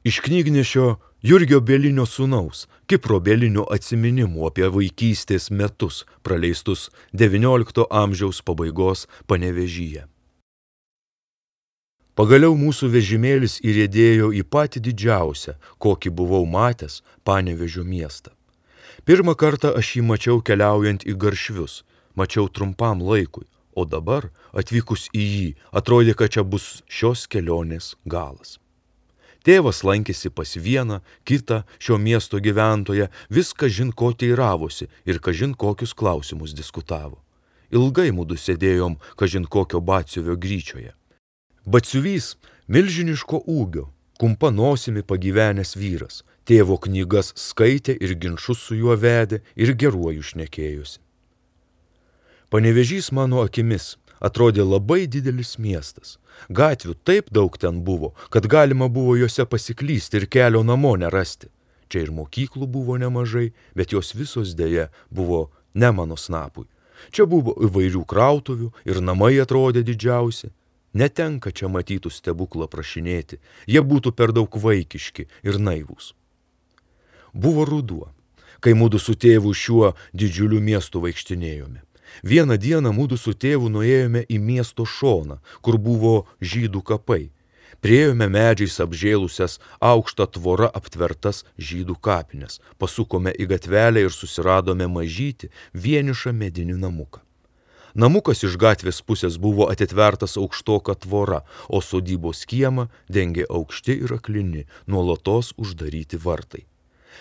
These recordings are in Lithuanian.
Iš knygnešio Jurgio Bielinio sūnaus, Kipro Bielinio atsiminimų apie vaikystės metus, praleistus XIX amžiaus pabaigos Panevėžyje. Pagaliau mūsų vežimėlis įriedėjo į patį didžiausią, kokį buvau matęs, Panevėžio miestą. Pirmą kartą aš jį mačiau keliaujant į Garšvius, mačiau trumpam laikui, o dabar, atvykus į jį, atrodė, kad čia bus šios kelionės galas. Tėvas lankėsi pas vieną, kitą šio miesto gyventoją, vis kažin ko teiravosi ir kažin kokius klausimus diskutavo. Ilgai mudu sėdėjom kažin kokio batsiuvio gryčioje. Batsiuvys milžiniško ūgio, kumpa nosimi pagyvenęs vyras, tėvo knygas skaitė ir ginčus su juo vedė ir geruoju šnekėjosi. Panevėžys mano akimis atrodė labai didelis miestas. Gatvių taip daug ten buvo, kad galima buvo juose pasiklysti ir kelio namo nerasti. Čia ir mokyklų buvo nemažai, bet jos visos dėja buvo ne mano snapui. Čia buvo įvairių krautuvių ir namai atrodė didžiausi. Netenka čia matytų stebuklą prašinėti, jie būtų per daug vaikiški ir naivūs. Buvo ruduo, kai mudu su tėvu šiuo didžiuliu miestu vaikštinėjome. Vieną dieną mudu su tėvu nuėjome į miesto šoną, kur buvo žydų kapai. Priėjome medžiais apžėlusias aukštą tvorą aptvertas žydų kapines, pasukome į gatvelę ir susiradome mažytį vienišą medinį namuką. Namukas iš gatvės pusės buvo atitvertas aukštoka tvora, o sodybos kiemą dengė aukšti ir aklini, nuolatos uždaryti vartai.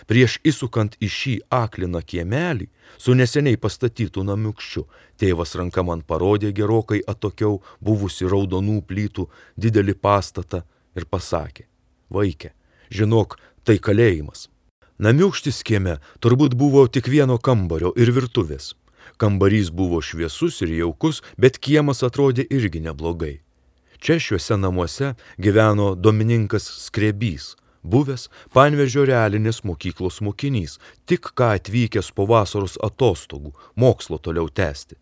Prieš įsukant į šį akliną kiemelį, su neseniai pastatytų namiukščiu, tėvas ranka man parodė gerokai atokiau buvusi raudonų plytų didelį pastatą ir pasakė: vaike, žinok, tai kalėjimas. Namiukštis kieme turbūt buvo tik vieno kambario ir virtuvės. Kambarys buvo šviesus ir jaukus, bet kiemas atrodė irgi neblogai. Čia šiuose namuose gyveno Domininkas Skrebys, buvęs Panevėžio realinės mokyklos mokinys, tik ką atvykęs po vasaros atostogų, mokslo toliau tęsti.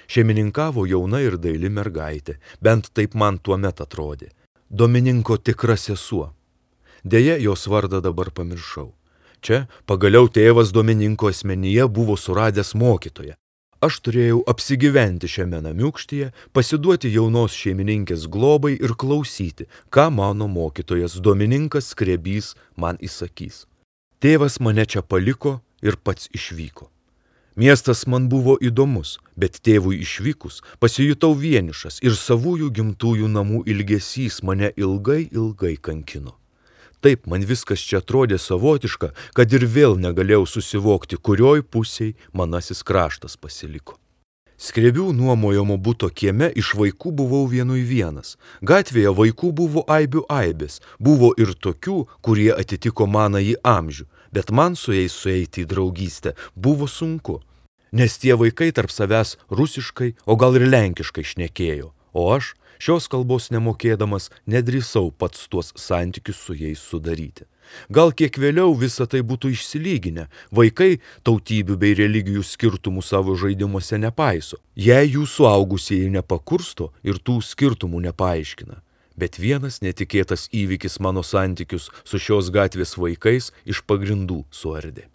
Šeimininkavo jauna ir daili mergaitė, bent taip man tuomet atrodė. Domininko tikra sesuo. Deja, jos vardą dabar pamiršau. Čia pagaliau tėvas Domininko asmenyje buvo suradęs mokytoją. Aš turėjau apsigyventi šiame namiukštyje, pasiduoti jaunos šeimininkės globai ir klausyti, ką mano mokytojas Domininkas Skrebys man įsakys. Tėvas mane čia paliko ir pats išvyko. Miestas man buvo įdomus, bet tėvui išvykus pasijutau vienišas ir savųjų gimtųjų namų ilgesys mane ilgai kankino. Taip man viskas čia atrodė savotiška, kad ir vėl negalėjau susivokti, kurioj pusėj manasis kraštas pasiliko. Skrebių nuomojamo buto kieme iš vaikų buvau vienui vienas. Gatvėje vaikų buvo aibių aibės, buvo ir tokių, kurie atitiko manąjį amžių, bet man su jais sueiti į draugystę buvo sunku, nes tie vaikai tarp savęs rusiškai, o gal ir lenkiškai šnekėjo, o aš, šios kalbos nemokėdamas, nedrįsau pats tuos santykius su jais sudaryti. Gal kiek vėliau visa tai būtų išsilyginę, vaikai tautybių bei religijų skirtumų savo žaidimuose nepaiso, jei jų suaugusieji nepakursto ir tų skirtumų nepaaiškina. Bet vienas netikėtas įvykis mano santykius su šios gatvės vaikais iš pagrindų suardė.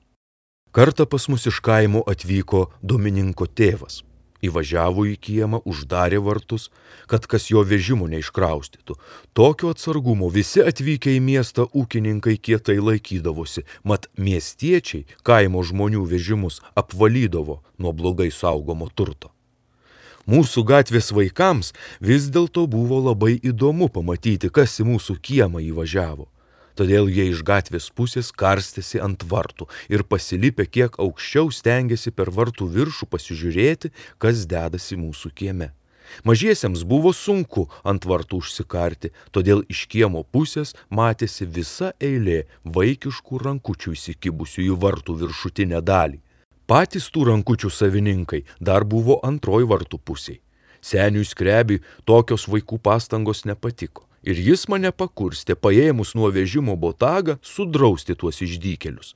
Kartą pas mus iš kaimo atvyko Domininko tėvas. Įvažiavo į kiemą, uždarė vartus, kad kas jo vežimo neiškraustytų. Tokio atsargumo visi atvykę į miestą ūkininkai kietai laikydavosi, mat miestiečiai kaimo žmonių vežimus apvalydavo nuo blogai saugomo turto. Mūsų gatvės vaikams vis dėlto buvo labai įdomu pamatyti, kas į mūsų kiemą įvažiavo. Todėl jie iš gatvės pusės karstėsi ant vartų ir pasilipę kiek aukščiau stengėsi per vartų viršų pasižiūrėti, kas dedasi mūsų kieme. Mažiesiems buvo sunku ant vartų užsikarti, todėl iš kiemo pusės matėsi visa eilė vaikiškų rankučių įsikibusių į vartų viršutinę dalį. Patys tų rankučių savininkai dar buvo antroj vartų pusėj. Seniui Skrebiui tokios vaikų pastangos nepatiko. Ir jis mane pakurstė, paėmus nuo vežimo botagą, sudrausti tuos išdykėlius.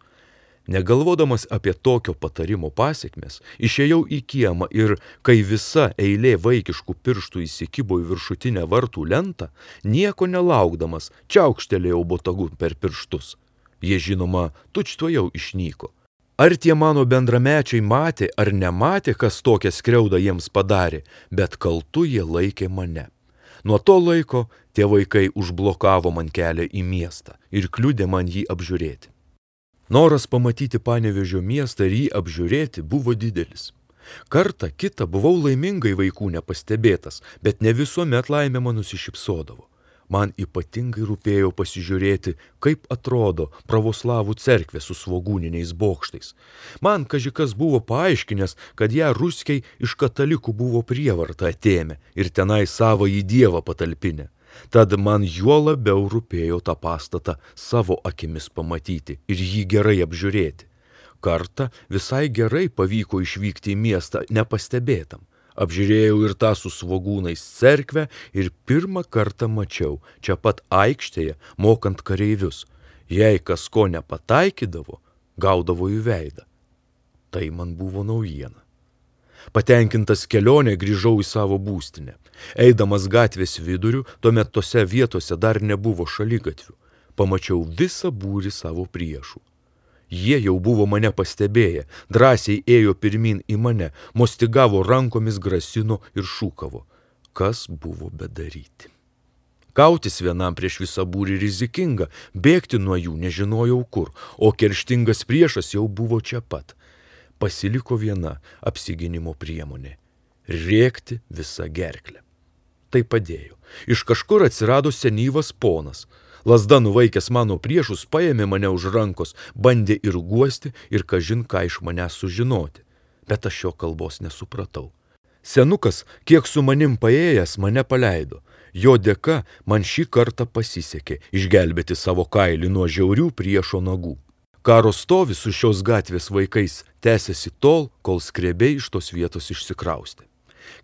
Negalvodamas apie tokio patarimo pasekmes, išėjau į kiemą ir, kai visa eilė vaikiškų pirštų įsikibo į viršutinę vartų lentą, nieko nelaukdamas, čiaukštelėjau botagu per pirštus. Jie, žinoma, tučtuojau išnyko. Ar tie mano bendramečiai matė ar nematė, kas tokią skriaudą jiems padarė, bet kaltu jie laikė mane. Nuo to laiko tie vaikai užblokavo man kelią į miestą ir kliudė man jį apžiūrėti. Noras pamatyti Panevėžio miestą ir jį apžiūrėti buvo didelis. Kartą kitą buvau laimingai vaikų nepastebėtas, bet ne visuomet laimė man nusišypsodavo. Man ypatingai rūpėjo pasižiūrėti, kaip atrodo pravoslavų cerkvė su svogūniniais bokštais. Man kažikas buvo paaiškinęs, kad ją ruskiai iš katalikų buvo prievartą atėmę ir tenai savąjį dievą patalpinę. Tad man juo labiau rūpėjo tą pastatą savo akimis pamatyti ir jį gerai apžiūrėti. Kartą visai gerai pavyko išvykti į miestą nepastebėtam. Apžiūrėjau ir tą su svogūnais cerkvę ir pirmą kartą mačiau, čia pat aikštėje, mokant kareivius. Jei kas ko nepataikydavo, gaudavo į veidą. Tai man buvo naujiena. Patenkintas kelionė grįžau į savo būstinę. Eidamas gatvės viduriu, tuomet tose vietose dar nebuvo šaligatvių. Pamačiau visą būrį savo priešų. Jie jau buvo mane pastebėję, drąsiai ėjo pirmin į mane, mostigavo rankomis, grasino ir šūkavo. Kas buvo bedaryti? Kautis vienam prieš visą būrį rizikinga, bėgti nuo jų nežinojau kur, o kerštingas priešas jau buvo čia pat. Pasiliko viena apsigynimo priemonė – rėkti visą gerklę. Tai padėjo. Iš kažkur atsirado senyvas ponas. Lazda nuvaikęs mano priešus paėmė mane už rankos, bandė ir guosti ir kažin ką iš manęs sužinoti. Bet aš jo kalbos nesupratau. Senukas, kiek su manim paėjęs, mane paleido. Jo dėka man šį kartą pasisekė išgelbėti savo kailį nuo žiaurių priešo nagų. Karo stovis su šios gatvės vaikais tęsėsi tol, kol skrebiai iš tos vietos išsikraustė.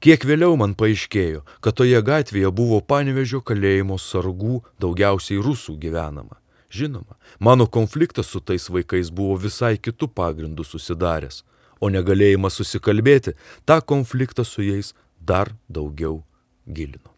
Kiek vėliau man paaiškėjo, kad toje gatvėje buvo Panevėžio kalėjimo sargų, daugiausiai rusų gyvenama. Žinoma, mano konfliktas su tais vaikais buvo visai kitų pagrindų susidaręs, o negalėjimas susikalbėti tą konfliktą su jais dar daugiau gilino.